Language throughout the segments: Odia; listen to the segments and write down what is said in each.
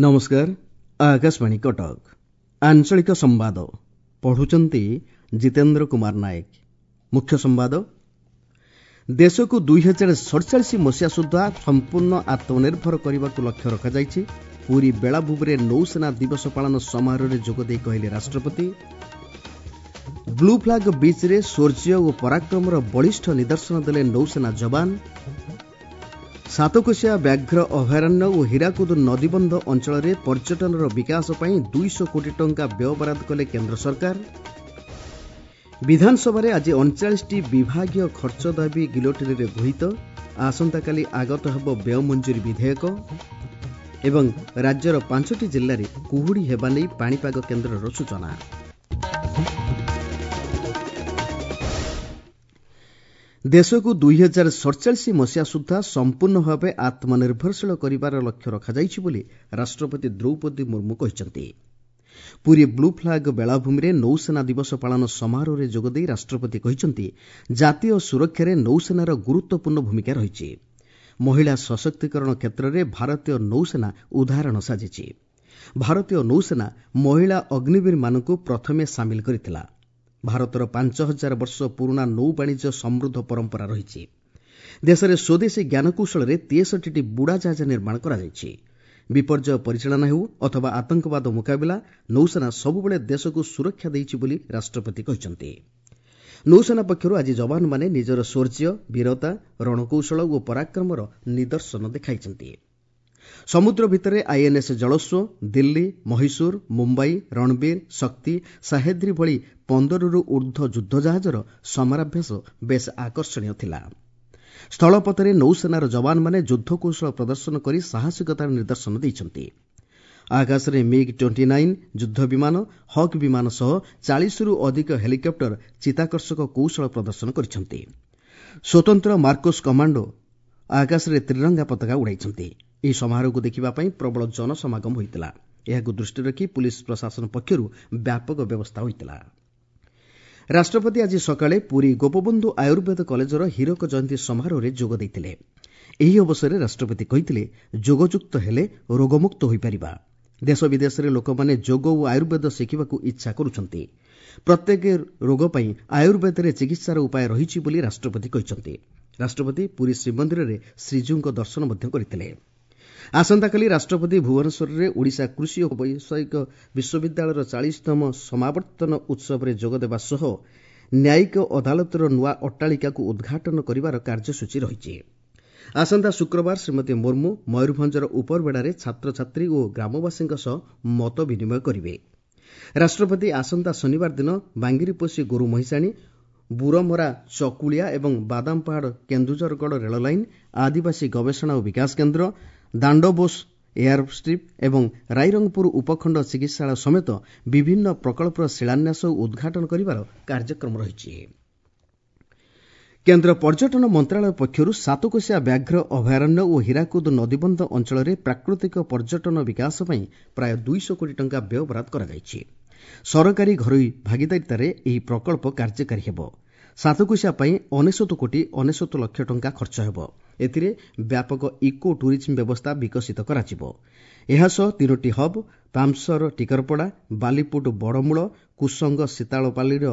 ନମସ୍କାର, ଆକାଶବାଣୀ କଟକ। ଆଞ୍ଚଳିକ ସମ୍ବାଦ ପଢୁଛନ୍ତି ଜିତେନ୍ଦ୍ର କୁମାର ନାୟକ। ମୁଖ୍ୟ ସମ୍ବାଦ, ଦେଶକୁ 2047 ମସିହା ସୁଦ୍ଧା ସମ୍ପୂର୍ଣ୍ଣ ଆତ୍ମନିର୍ଭର କରିବାକୁ ଲକ୍ଷ୍ୟ ରଖାଯାଇଛି। ପୁରୀ ବେଳାଭୂମିରେ ନୌସେନା ଦିବସ ପାଳନ ସମାରୋହରେ ଯୋଗଦେଇ କହିଲେ ରାଷ୍ଟ୍ରପତି। ବ୍ଲୁ ଫ୍ଲାଗ ବିଚ୍ରେ ଶୌର୍ଯ୍ୟ ଓ ପରାକ୍ରମର ବଳିଷ୍ଠ ନିଦର୍ଶନ ଦେଲେ ନୌସେନା ଯବାନ। ସାତକୋଶିଆ ବ୍ୟାଘ୍ର ଅଭୟାରଣ୍ୟ ଓ ହୀରାକୁଦ ନଦୀବନ୍ଧ ଅଞ୍ଚଳରେ ପର୍ଯ୍ୟଟନର ବିକାଶ ପାଇଁ 200 କୋଟି ଟଙ୍କା ବ୍ୟୟବରାଦ କଲେ କେନ୍ଦ୍ର ସରକାର। ବିଧାନସଭାରେ ଆଜି 39ଟି ବିଭାଗୀୟ ଖର୍ଚ୍ଚ ଦାବି ଗିଲୋଟିନରେ ଗୃହୀତ। ଆସନ୍ତାକାଲି ଆଗତ ହେବ ବ୍ୟୟ ମଞ୍ଜୁରୀ ବିଧେୟକ। ଏବଂ ରାଜ୍ୟର 5ଟି ଜିଲ୍ଲାରେ କୁହୁଡ଼ି ହେବା ନେଇ ପାଣିପାଗ କେନ୍ଦ୍ରର ସୂଚନା। ଦେଶକୁ 2047 ମସିହା ସୁଦ୍ଧା ସମ୍ପୂର୍ଣ୍ଣ ଭାବେ ଆତ୍ମନିର୍ଭରଶୀଳ କରିବାର ଲକ୍ଷ୍ୟ ରଖାଯାଇଛି ବୋଲି ରାଷ୍ଟ୍ରପତି ଦ୍ରୌପଦୀ ମୁର୍ମୁ କହିଛନ୍ତି। ପୁରୀ ବ୍ଲୁ ଫ୍ଲାଗ ବେଳାଭୂମିରେ ନୌସେନା ଦିବସ ପାଳନ ସମାରୋହରେ ଯୋଗଦେଇ ରାଷ୍ଟ୍ରପତି କହିଛନ୍ତି, ଜାତୀୟ ସୁରକ୍ଷାରେ ନୌସେନାର ଗୁରୁତ୍ୱପୂର୍ଣ୍ଣ ଭୂମିକା ରହିଛି। ମହିଳା ସଶକ୍ତିକରଣ କ୍ଷେତ୍ରରେ ଭାରତୀୟ ନୌସେନା ଉଦାହରଣ ସାଜିଛି। ଭାରତୀୟ ନୌସେନା ମହିଳା ଅଗ୍ନିବୀରମାନଙ୍କୁ ପ୍ରଥମେ ସାମିଲ କରିଥିଲା। ଭାରତର 5000 ବର୍ଷ ପୁରୁଣା ନୌବାଣିଜ୍ୟ ସମୃଦ୍ଧ ପରମ୍ପରା ରହିଛି। ଦେଶରେ ସ୍ୱଦେଶୀ ଜ୍ଞାନକୌଶଳରେ 63ଟି ବୁଡ଼ାଜାହାଜ ନିର୍ମାଣ କରାଯାଇଛି। ବିପର୍ଯ୍ୟୟ ପରିଚାଳନା ହେଉ ଅଥବା ଆତଙ୍କବାଦ ମୁକାବିଲା, ନୌସେନା ସବୁବେଳେ ଦେଶକୁ ସୁରକ୍ଷା ଦେଇଛି ବୋଲି ରାଷ୍ଟ୍ରପତି କହିଛନ୍ତି। ନୌସେନା ପକ୍ଷରୁ ଆଜି ଯବାନମାନେ ନିଜର ଶୌର୍ଯ୍ୟ, ବୀରତା, ରଣକୌଶଳ ଓ ପରାକ୍ରମର ନିଦର୍ଶନ ଦେଖାଇଛନ୍ତି। ସମୁଦ୍ର ଭିତରେ ଆଇଏନ୍ଏସ୍ ଜଳସ୍ୱ, ଦିଲ୍ଲୀ, ମହୀଶୂର, ମୁମ୍ବାଇ, ରଣବୀର, ଶକ୍ତି, ସାହେଦ୍ରୀ ଭଳି 15ରୁ ଉର୍ଦ୍ଧ୍ୱ ଯୁଦ୍ଧଜାହାଜର ସମରାଭ୍ୟାସ ବେଶ୍ ଆକର୍ଷଣୀୟ ଥିଲା। ସ୍ଥଳପଥରେ ନୌସେନାର ଯବାନମାନେ ଯୁଦ୍ଧକୌଶଳ ପ୍ରଦର୍ଶନ କରି ସାହସିକତାର ନିଦର୍ଶନ ଦେଇଛନ୍ତି। ଆକାଶରେ ମିଗ୍ 29 ଯୁଦ୍ଧ ବିମାନ, ହକ୍ ବିମାନ ସହ 40ରୁ ଅଧିକ ହେଲିକପ୍ଟର ଚିତାକର୍ଷକ କୌଶଳ ପ୍ରଦର୍ଶନ କରିଛନ୍ତି। ସ୍ୱତନ୍ତ୍ର ମାର୍କୋସ୍ କମାଣ୍ଡୋ ଆକାଶରେ ତ୍ରିରଙ୍ଗା ପତାକା ଉଡ଼ାଇଛନ୍ତି। ଏହି ସମାରୋହକୁ ଦେଖିବା ପାଇଁ ପ୍ରବଳ ଜନସମାଗମ ହୋଇଥିଲା। ଏହାକୁ ଦୃଷ୍ଟିରେ ରଖି ପୁଲିସ୍ ପ୍ରଶାସନ ପକ୍ଷରୁ ବ୍ୟାପକ ବ୍ୟବସ୍ଥା ହୋଇଥିଲା। ରାଷ୍ଟ୍ରପତି ଆଜି ସକାଳେ ପୁରୀ ଗୋପବନ୍ଧୁ ଆୟୁର୍ବେଦ କଲେଜର ହୀରକ ଜୟନ୍ତୀ ସମାରୋହରେ ଯୋଗ ଦେଇଥିଲେ। ଏହି ଅବସରରେ ରାଷ୍ଟ୍ରପତି କହିଥିଲେ, ଯୋଗଯୁକ୍ତ ହେଲେ ରୋଗମୁକ୍ତ ହୋଇପାରିବା। ଦେଶ ବିଦେଶରେ ଲୋକମାନେ ଯୋଗ ଓ ଆୟୁର୍ବେଦ ଶିଖିବାକୁ ଇଚ୍ଛା କରୁଛନ୍ତି। ପ୍ରତ୍ୟେକ ରୋଗ ପାଇଁ ଆୟୁର୍ବେଦରେ ଚିକିତ୍ସାର ଉପାୟ ରହିଛି ବୋଲି ରାଷ୍ଟ୍ରପତି କହିଛନ୍ତି। ରାଷ୍ଟ୍ରପତି ପୁରୀ ଶ୍ରୀମନ୍ଦିରରେ ଶ୍ରୀଜୀଉଙ୍କ ଦର୍ଶନ ମଧ୍ୟ କରିଥିଲେ। ଆସନ୍ତାକାଲି ରାଷ୍ଟ୍ରପତି ଭୁବନେଶ୍ୱରରେ ଓଡ଼ିଶା କୃଷି ଓ ବୈଷୟିକ ବିଶ୍ୱବିଦ୍ୟାଳୟର 40ତମ ସମାବର୍ତ୍ତନ ଉତ୍ସବରେ ଯୋଗଦେବା ସହ ନ୍ୟାୟିକ ଅଦାଲତର ନୂଆ ଅଟ୍ଟାଳିକାକୁ ଉଦ୍ଘାଟନ କରିବାର କାର୍ଯ୍ୟସୂଚୀ ରହିଛି। ଆସନ୍ତା ଶୁକ୍ରବାର ଶ୍ରୀମତୀ ମୁର୍ମୁ ମୟୂରଭଞ୍ଜର ଉପରବେଡ଼ାରେ ଛାତ୍ରଛାତ୍ରୀ ଓ ଗ୍ରାମବାସୀଙ୍କ ସହ ମତ ବିନିମୟ କରିବେ। ରାଷ୍ଟ୍ରପତି ଆସନ୍ତା ଶନିବାର ଦିନ ବାଙ୍ଗିରିପୋଷି ଗୋରୁ ମହିଷାଣୀ, ବୁରମରା ଚକୁଳିଆ ଏବଂ ବାଦାମପାହାଡ଼ କେନ୍ଦୁଝରଗଡ଼ ରେଳ ଲାଇନ୍, ଆଦିବାସୀ ଗବେଷଣା ଓ ବିକାଶ କେନ୍ଦ୍ର, ଦାଣ୍ଡବୋଷ ଏୟାର ଷ୍ଟ୍ରିପ୍ ଏବଂ ରାଇରଙ୍ଗପୁର ଉପଖଣ୍ଡ ଚିକିତ୍ସାଳୟ ସମେତ ବିଭିନ୍ନ ପ୍ରକଳ୍ପର ଶିଳାନ୍ୟାସ ଓ ଉଦ୍ଘାଟନ କରିବାର କାର୍ଯ୍ୟକ୍ରମ ରହିଛି। କେନ୍ଦ୍ର ପର୍ଯ୍ୟଟନ ମନ୍ତ୍ରଣାଳୟ ପକ୍ଷରୁ ସାତକୋଶିଆ ବ୍ୟାଘ୍ର ଅଭୟାରଣ୍ୟ ଓ ହୀରାକୁଦ ନଦୀବନ୍ଧ ଅଞ୍ଚଳରେ ପ୍ରାକୃତିକ ପର୍ଯ୍ୟଟନ ବିକାଶ ପାଇଁ ପ୍ରାୟ 200 କୋଟି ଟଙ୍କା ବ୍ୟୟବରାଦ କରାଯାଇଛି। ସରକାରୀ ଘରୋଇ ଭାଗିଦାରିତାରେ ଏହି ପ୍ରକଳ୍ପ କାର୍ଯ୍ୟକାରୀ ହେବ। ସାତକୋଶିଆ ପାଇଁ 99 କୋଟି 99 ଲକ୍ଷ ଟଙ୍କା ଖର୍ଚ୍ଚ ହେବ। ଏଥିରେ ବ୍ୟାପକ ଇକୋ ଟୁରିଜିମ୍ ବ୍ୟବସ୍ଥା ବିକଶିତ କରାଯିବ। ଏହାସହ 3ଟି ହବ୍ ପାମସର ଟିକରପଡ଼ା, ବାଲିପୁଟ ବଡ଼ମୂଳ, କୁସଙ୍ଗ ଶୀତାଳପାଲିର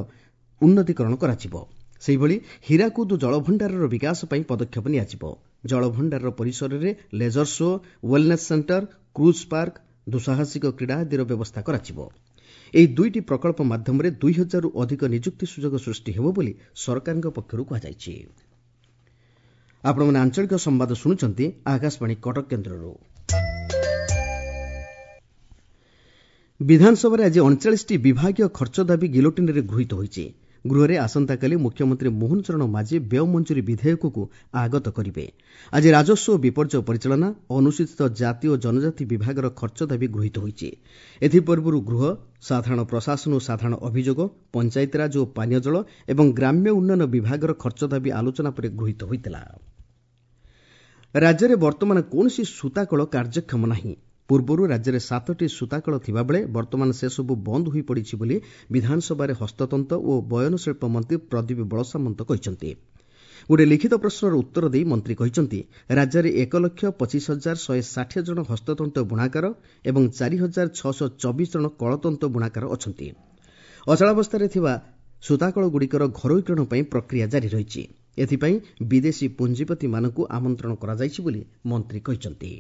ଉନ୍ନତିକରଣ କରାଯିବ। ସେହିଭଳି ହୀରାକୁଦ ଜଳଭଣ୍ଡାରର ବିକାଶ ପାଇଁ ପଦକ୍ଷେପ ନିଆଯିବ। ଜଳଭଣ୍ଡାରର ପରିସରରେ laser show, wellness centre, cruise park, ଦୁଃସାହସିକ କ୍ରୀଡ଼ା ଆଦିର ବ୍ୟବସ୍ଥା କରାଯିବ। ଏହି 2ଟି ପ୍ରକଳ୍ପ ମାଧ୍ୟମରେ 2000ରୁ ଅଧିକ ନିଯୁକ୍ତି ସୁଯୋଗ ସୃଷ୍ଟି ହେବ ବୋଲି ସରକାରଙ୍କ ପକ୍ଷରୁ କୁହାଯାଇଛି। ଆପଣମାନେ ଆଞ୍ଚଳିକ ସମ୍ବାଦ ଶୁଣୁଛନ୍ତି ଆକାଶବାଣୀ କଟକ କେନ୍ଦ୍ରରୁ। ବିଧାନସଭାରେ ଆଜି 39ଟି ବିଭାଗୀୟ ଖର୍ଚ୍ଚ ଦାବି ଗିଲୋଟିନରେ ଗୃହୀତ ହୋଇଛି। ଗୃହରେ ଆସନ୍ତାକାଲି ମୁଖ୍ୟମନ୍ତ୍ରୀ ମୋହନ ଚରଣ ମାଝୀ ବ୍ୟୟ ମଞ୍ଜୁରୀ ବିଧେୟକକୁ ଆଗତ କରିବେ। ଆଜି ରାଜସ୍ୱ ଓ ବିପର୍ଯ୍ୟୟ ପରିଚାଳନା, ଅନୁସୂଚିତ ଜାତି ଓ ଜନଜାତି ବିଭାଗର ଖର୍ଚ୍ଚ ଦାବି ଗୃହୀତ ହୋଇଛି। ଏଥିପୂର୍ବରୁ ଗୃହ, ସାଧାରଣ ପ୍ରଶାସନ ଓ ସାଧାରଣ ଅଭିଯୋଗ, ପଞ୍ଚାୟତିରାଜ ଓ ପାନୀୟ ଜଳ ଏବଂ ଗ୍ରାମ୍ୟ ଉନ୍ନୟନ ବିଭାଗର ଖର୍ଚ୍ଚ ଦାବି ଆଲୋଚନା ପରେ ଗୃହୀତ ହୋଇଥିଲା। ରାଜ୍ୟରେ ବର୍ତ୍ତମାନ କୌଣସି ସୂତାକଳ କାର୍ଯ୍ୟକ୍ଷମ ନାହିଁ। ପୂର୍ବରୁ ରାଜ୍ୟରେ 7ଟି ସୂତାକଳ ଥିବାବେଳେ ବର୍ତ୍ତମାନ ସେସବୁ ବନ୍ଦ ହୋଇପଡ଼ିଛି ବୋଲି ବିଧାନସଭାରେ ହସ୍ତତନ୍ତ ଓ ବୟନଶିଳ୍ପ ମନ୍ତ୍ରୀ ପ୍ରଦୀପ ବଳସାମନ୍ତ କହିଛନ୍ତି। ଗୋଟିଏ ଲିଖିତ ପ୍ରଶ୍ନର ଉତ୍ତର ଦେଇ ମନ୍ତ୍ରୀ କହିଛନ୍ତି, ରାଜ୍ୟରେ 1,25,160 ଜଣ ହସ୍ତତନ୍ତ ବୁଣାକାର ଏବଂ 4,624 ଜଣ କଳତନ୍ତ ବୁଣାକାର ଅଛନ୍ତି। ଅଚଳାବସ୍ଥାରେ ଥିବା ସୂତାକଳଗୁଡ଼ିକର ଘରୋଇକରଣ ପାଇଁ ପ୍ରକ୍ରିୟା ଜାରି ରହିଛି। ଏଥିପାଇଁ ବିଦେଶୀ ପୁଞ୍ଜିପତିମାନଙ୍କୁ ଆମନ୍ତ୍ରଣ କରାଯାଇଛି ବୋଲି ମନ୍ତ୍ରୀ କହିଛନ୍ତି।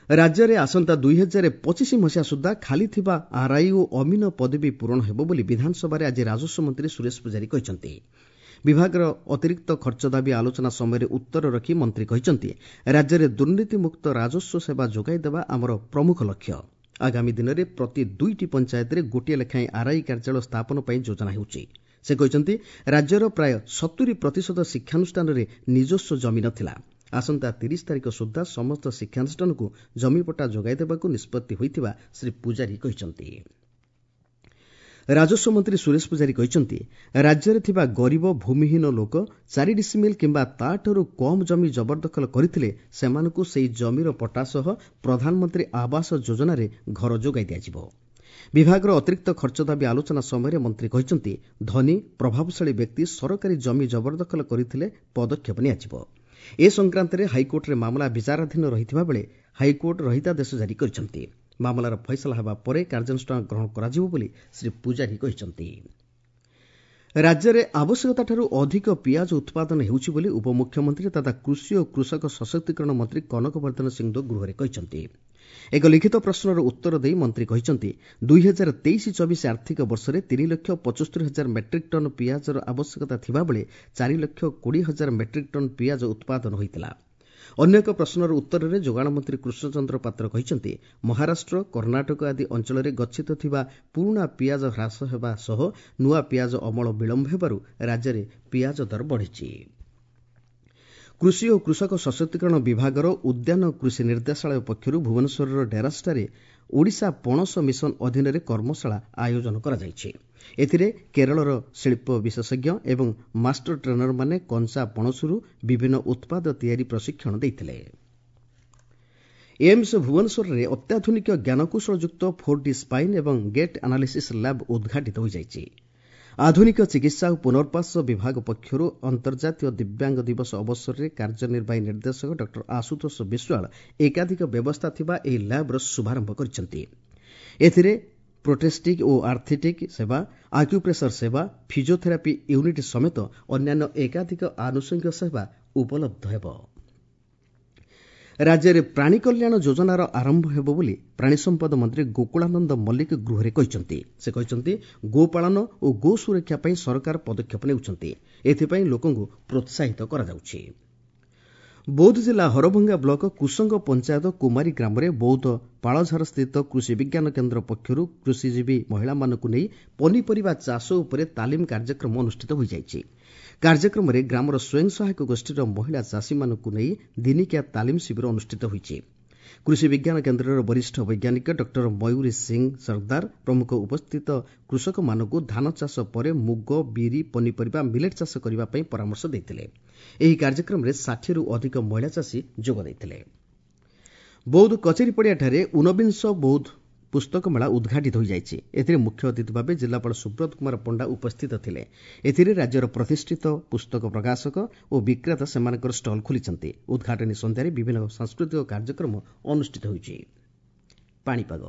ରାଜ୍ୟରେ ଆସନ୍ତା 2025 ମସିହା ସୁଦ୍ଧା ଖାଲି ଥିବା ଆର୍ଆଇ ଓ ଅମିନ ପଦବୀ ପୂରଣ ହେବ ବୋଲି ବିଧାନସଭାରେ ଆଜି ରାଜସ୍ୱ ମନ୍ତ୍ରୀ ସୁରେଶ ପୂଜାରୀ କହିଛନ୍ତି। ବିଭାଗର ଅତିରିକ୍ତ ଖର୍ଚ୍ଚ ଦାବି ଆଲୋଚନା ସମୟରେ ଉତ୍ତର ରଖି ମନ୍ତ୍ରୀ କହିଛନ୍ତି, ରାଜ୍ୟରେ ଦୁର୍ନୀତିମୁକ୍ତ ରାଜସ୍ୱ ସେବା ଯୋଗାଇ ଦେବା ଆମର ପ୍ରମୁଖ ଲକ୍ଷ୍ୟ। ଆଗାମୀ ଦିନରେ ପ୍ରତି 2ଟି ପଞ୍ଚାୟତରେ ଗୋଟିଏ ଲେଖାଏଁ ଆର୍ଆଇ କାର୍ଯ୍ୟାଳୟ ସ୍ଥାପନ ପାଇଁ ଯୋଜନା ହେଉଛି। ସେ କହିଛନ୍ତି, ରାଜ୍ୟର ପ୍ରାୟ 70% ଶିକ୍ଷାନୁଷ୍ଠାନରେ ନିଜସ୍ୱ ଜମି ନଥିଲା। ଆସନ୍ତା 30 ତାରିଖ ସୁଦ୍ଧା ସମସ୍ତ ଶିକ୍ଷାନୁଷ୍ଠାନକୁ ଜମିପଟ୍ଟା ଯୋଗାଇ ଦେବାକୁ ନିଷ୍ପତ୍ତି ହୋଇଥିବା ଶ୍ରୀ ପୂଜାରୀ କହିଛନ୍ତି। ରାଜସ୍ୱ ମନ୍ତ୍ରୀ ସୁରେଶ ପୂଜାରୀ କହିଛନ୍ତି, ରାଜ୍ୟରେ ଥିବା ଗରିବ ଭୂମିହୀନ ଲୋକ 4 ଡିସିମିଲ୍ କିମ୍ବା ତା'ଠାରୁ କମ୍ ଜମି ଜବରଦଖଲ କରିଥିଲେ ସେମାନଙ୍କୁ ସେହି ଜମିର ପଟ୍ଟା ସହ ପ୍ରଧାନମନ୍ତ୍ରୀ ଆବାସ ଯୋଜନାରେ ଘର ଯୋଗାଇ ଦିଆଯିବ। ବିଭାଗର ଅତିରିକ୍ତ ଖର୍ଚ୍ଚ ଦାବି ଆଲୋଚନା ସମୟରେ ମନ୍ତ୍ରୀ କହିଛନ୍ତି, ଧନୀ ପ୍ରଭାବଶାଳୀ ବ୍ୟକ୍ତି ସରକାରୀ ଜମି ଜବରଦଖଲ କରିଥିଲେ ପଦକ୍ଷେପ ନିଆଯିବ। ଏ ସଂକ୍ରାନ୍ତରେ ହାଇକୋର୍ଟରେ ମାମଲା ବିଚାରାଧୀନ ରହିଥିବା ବେଳେ ହାଇକୋର୍ଟ ରହିତାଦେଶ ଜାରି କରିଛନ୍ତି। ମାମଲାର ଫଇସଲା ହେବା ପରେ କାର୍ଯ୍ୟାନୁଷ୍ଠାନ ଗ୍ରହଣ କରାଯିବ ବୋଲି ଶ୍ରୀ ପୂଜାରୀ କହିଛନ୍ତି। ରାଜ୍ୟରେ ଆବଶ୍ୟକତାଠାରୁ ଅଧିକ ପିଆଜ ଉତ୍ପାଦନ ହେଉଛି ବୋଲି ଉପମୁଖ୍ୟମନ୍ତ୍ରୀ ତଥା କୃଷି ଓ କୃଷକ ସଶକ୍ତିକରଣ ମନ୍ତ୍ରୀ କନକ ବର୍ଦ୍ଧନ ସିଂଦେଓ ଗୃହରେ କହିଛନ୍ତି। ଏକ ଲିଖିତ ପ୍ରଶ୍ନର ଉତ୍ତର ଦେଇ ମନ୍ତ୍ରୀ କହିଛନ୍ତି, 2023-24 ଆର୍ଥିକ ବର୍ଷରେ 3,75,000 ମେଟ୍ରିକ୍ ଟନ୍ ପିଆଜର ଆବଶ୍ୟକତା ଥିବାବେଳେ 4,20,000 ମେଟ୍ରିକ୍ ଟନ୍ ପିଆଜ ଉତ୍ପାଦନ ହୋଇଥିଲା। ଅନ୍ୟ ଏକ ପ୍ରଶ୍ନର ଉତ୍ତରରେ ଯୋଗାଣ ମନ୍ତ୍ରୀ କୃଷ୍ଣଚନ୍ଦ୍ର ପାତ୍ର କହିଛନ୍ତି, ମହାରାଷ୍ଟ୍ର, କର୍ଣ୍ଣାଟକ ଆଦି ଅଞ୍ଚଳରେ ଗଚ୍ଛିତ ଥିବା ପୁରୁଣା ପିଆଜ ହ୍ରାସ ହେବା ସହ ନୂଆ ପିଆଜ ଅମଳ ବିଳମ୍ବ ହେବାରୁ ରାଜ୍ୟରେ ପିଆଜ ଦର ବଢ଼ିଛି। କୃଷି ଓ କୃଷକ ସଶକ୍ତିକରଣ ବିଭାଗର ଉଦ୍ୟାନ କୃଷି ନିର୍ଦ୍ଦେଶାଳୟ ପକ୍ଷରୁ ଭୁବନେଶ୍ୱରର ଡେରାସଠାରେ ଓଡ଼ିଶା ପଣସ ମିଶନ ଅଧୀନରେ କର୍ମଶାଳା ଆୟୋଜନ କରାଯାଇଛି। ଏଥିରେ କେରଳର ଶିଳ୍ପ ବିଶେଷଜ୍ଞ ଏବଂ ମାଷ୍ଟର ଟ୍ରେନରମାନେ କଞ୍ଚା ପଣସରୁ ବିଭିନ୍ନ ଉତ୍ପାଦ ତିଆରି ପ୍ରଶିକ୍ଷଣ ଦେଇଥିଲେ। ଏମ୍ସ ଭୁବନେଶ୍ୱରରେ ଅତ୍ୟାଧୁନିକ ଜ୍ଞାନକୌଶଳଯୁକ୍ତ 4D spine ଏବଂ ଗେଟ୍ ଆନାଲିସିସ୍ ଲ୍ୟାବ୍ ଉଦ୍ଘାଟିତ ହୋଇଯାଇଛି। ଆଧୁନିକ ଚିକିତ୍ସା ଓ ପୁନର୍ବାସ ବିଭାଗ ପକ୍ଷରୁ ଅନ୍ତର୍ଜାତୀୟ ଦିବ୍ୟାଙ୍ଗ ଦିବସ ଅବସରରେ କାର୍ଯ୍ୟନିର୍ବାହୀ ନିର୍ଦ୍ଦେଶକ ଡକ୍ଟର ଆଶୁତୋଷ ବିଶ୍ୱାଳ ଏକାଧିକ ବ୍ୟବସ୍ଥା ଥିବା ଏହି ଲ୍ୟାବ୍ର ଶୁଭାରମ୍ଭ କରିଛନ୍ତି। ଏଥିରେ ପ୍ରୋଟେଷ୍ଟିକ୍ ଓ ଆର୍ଥିଟିକ୍ ସେବା, ଆକ୍ୟୁପ୍ରେସର ସେବା, ଫିଜିଓଥେରାପି ୟୁନିଟ୍ ସମେତ ଅନ୍ୟାନ୍ୟ ଏକାଧିକ ଆନୁଷଙ୍ଗିକ ସେବା ଉପଲବ୍ଧ ହେବ। ରାଜ୍ୟରେ ପ୍ରାଣୀ କଲ୍ୟାଣ ଯୋଜନାର ଆରମ୍ଭ ହେବ ବୋଲି ପ୍ରାଣୀ ସମ୍ପଦ ମନ୍ତ୍ରୀ ଗୋକୁଳାନନ୍ଦ ମଲ୍ଲିକ ଗୃହରେ କହିଛନ୍ତି। ସେ କହିଛନ୍ତି, ଗୋପାଳନ ଓ ଗୋ ସୁରକ୍ଷା ପାଇଁ ସରକାର ପଦକ୍ଷେପ ନେଉଛନ୍ତି। ଏଥିପାଇଁ ଲୋକଙ୍କୁ ପ୍ରୋତ୍ସାହିତ କରାଯାଉଛି। ବୌଦ୍ଧ ଜିଲ୍ଲା ହରଭଙ୍ଗା ବ୍ଲକ କୁସଙ୍ଗ ପଞ୍ଚାୟତ କୁମାରୀ ଗ୍ରାମରେ ବୌଦ୍ଧ ପାଳଝାରସ୍ଥିତ କୃଷି ବିଜ୍ଞାନ କେନ୍ଦ୍ର ପକ୍ଷରୁ କୃଷିଜୀବୀ ମହିଳାମାନଙ୍କୁ ନେଇ ପନିପରିବା ଚାଷ ଉପରେ ତାଲିମ କାର୍ଯ୍ୟକ୍ରମ ଅନୁଷ୍ଠିତ ହୋଇଯାଇଛି। କାର୍ଯ୍ୟକ୍ରମରେ ଗ୍ରାମର ସ୍ୱୟଂ ସହାୟକ ଗୋଷ୍ଠୀର ମହିଳା ଚାଷୀମାନଙ୍କୁ ନେଇ ଦିନିକିଆ ତାଲିମ ଶିବିର ଅନୁଷ୍ଠିତ ହୋଇଛି। କୃଷି ବିଜ୍ଞାନ କେନ୍ଦ୍ରର ବରିଷ୍ଠ ବୈଜ୍ଞାନିକ ଡକ୍ଟର ମୟୁରୀ ସିଂ ସର୍ଦ୍ଦାର ପ୍ରମୁଖ ଉପସ୍ଥିତ କୃଷକମାନଙ୍କୁ ଧାନ ଚାଷ ପରେ ମୁଗ, ବିରି, ପନିପରିବା, ମିଲେଟ୍ ଚାଷ କରିବା ପାଇଁ ପରାମର୍ଶ ଦେଇଥିଲେ। ଏହି କାର୍ଯ୍ୟକ୍ରମରେ 60ରୁ ଅଧିକ ମହିଳା ଚାଷୀ ଯୋଗ ଦେଇଥିଲେ। ବୌଦ୍ଧ କଚେରୀ ପଡ଼ିଆଠାରେ ଊନବିଂଶ ବୌଦ୍ଧ ପୁସ୍ତକ ମେଳା ଉଦ୍ଘାଟିତ ହୋଇଯାଇଛି। ଏଥିରେ ମୁଖ୍ୟ ଅତିଥି ଭାବେ ଜିଲ୍ଲାପାଳ ସୁବ୍ରତ କୁମାର ପଣ୍ଡା ଉପସ୍ଥିତ ଥିଲେ। ଏଥିରେ ରାଜ୍ୟର ପ୍ରତିଷ୍ଠିତ ପୁସ୍ତକ ପ୍ରକାଶକ ଓ ବିକ୍ରେତା ସେମାନଙ୍କର ଷ୍ଟଲ୍ ଖୋଲିଛନ୍ତି। ଉଦ୍ଘାଟନୀ ସନ୍ଧ୍ୟାରେ ବିଭିନ୍ନ ସାଂସ୍କୃତିକ କାର୍ଯ୍ୟକ୍ରମ ଅନୁଷ୍ଠିତ ହୋଇଛି। ପାଣିପାଗ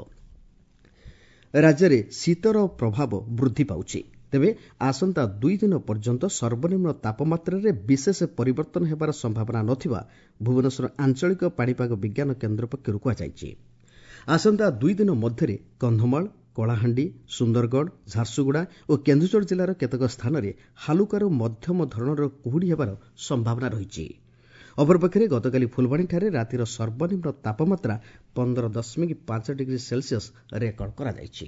ରାଜ୍ୟରେ ଶୀତର ପ୍ରଭାବ ବୃଦ୍ଧି ପାଉଛି। ତେବେ ଆସନ୍ତା 2 ଦିନ ପର୍ଯ୍ୟନ୍ତ ସର୍ବନିମ୍ନ ତାପମାତ୍ରାରେ ବିଶେଷ ପରିବର୍ତ୍ତନ ହେବାର ସମ୍ଭାବନା ନଥିବା ଭୁବନେଶ୍ୱର ଆଞ୍ଚଳିକ ପାଣିପାଗ ବିଜ୍ଞାନ କେନ୍ଦ୍ର ପକ୍ଷରୁ କୁହାଯାଇଛି। ଆସନ୍ତା 2 ଦିନ ମଧ୍ୟରେ କନ୍ଧମାଳ, କଳାହାଣ୍ଡି, ସୁନ୍ଦରଗଡ଼, ଝାରସୁଗୁଡ଼ା ଓ କେନ୍ଦୁଝର ଜିଲ୍ଲାର କେତେକ ସ୍ଥାନରେ ହାଲୁକାରୁ ମଧ୍ୟମ ଧରଣର କୁହୁଡ଼ି ହେବାର ସମ୍ଭାବନା ରହିଛି। ଅପରପକ୍ଷରେ ଗତକାଲି ଫୁଲବାଣୀଠାରେ ରାତିର ସର୍ବନିମ୍ନ ତାପମାତ୍ରା 15.5 ଡିଗ୍ରୀ ସେଲସିୟସ୍ ରେକର୍ଡ କରାଯାଇଛି।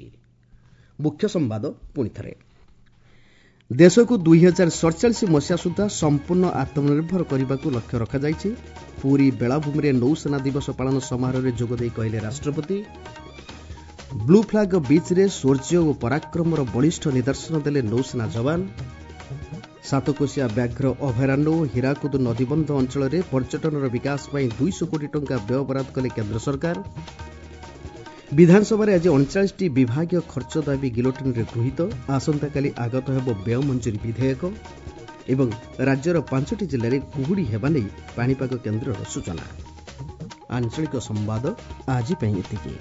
ମୁଖ୍ୟ ସମ୍ବାଦ ପୁଣିଥରେ, ଦେଶକୁ 2047 ମସିହା ସୁଦ୍ଧା ସମ୍ପୂର୍ଣ୍ଣ ଆତ୍ମନିର୍ଭର କରିବାକୁ ଲକ୍ଷ୍ୟ ରଖାଯାଇଛି। ପୁରୀ ବେଳାଭୂମିରେ ନୌସେନା ଦିବସ ପାଳନ ସମାରୋହରେ ଯୋଗଦେଇ କହିଲେ ରାଷ୍ଟ୍ରପତି। ବ୍ଲୁ ଫ୍ଲାଗ ବିଚ୍ରେ ଶୌର୍ଯ୍ୟ ଓ ପରାକ୍ରମର ବଳିଷ୍ଠ ନିଦର୍ଶନ ଦେଲେ ନୌସେନା ଯବାନ। ସାତକୋଶିଆ ବ୍ୟାଘ୍ର ଅଭୟାରଣ୍ୟ ଓ ହୀରାକୁଦ ନଦୀବନ୍ଧ ଅଞ୍ଚଳରେ ପର୍ଯ୍ୟଟନର ବିକାଶ ପାଇଁ 200 କୋଟି ଟଙ୍କା ବ୍ୟୟ ବରାଦ କଲେ କେନ୍ଦ୍ର ସରକାର। ବିଧାନସଭାରେ ଆଜି 39ଟି ବିଭାଗୀୟ ଖର୍ଚ୍ଚ ଦାବି ଗିଲୋଟିନ୍ରେ ଗୃହୀତ। ଆସନ୍ତାକାଲି ଆଗତ ହେବ ବ୍ୟୟ ମଞ୍ଜୁରୀ ବିଧେୟକ। ଏବଂ ରାଜ୍ୟର 5ଟି ଜିଲ୍ଲାରେ କୁହୁଡ଼ି ହେବା ନେଇ ପାଣିପାଗ କେନ୍ଦ୍ରର ସୂଚନା। ଆଞ୍ଚଳିକ ସମ୍ବାଦ ଆଜି ପାଇଁ ଏତିକି।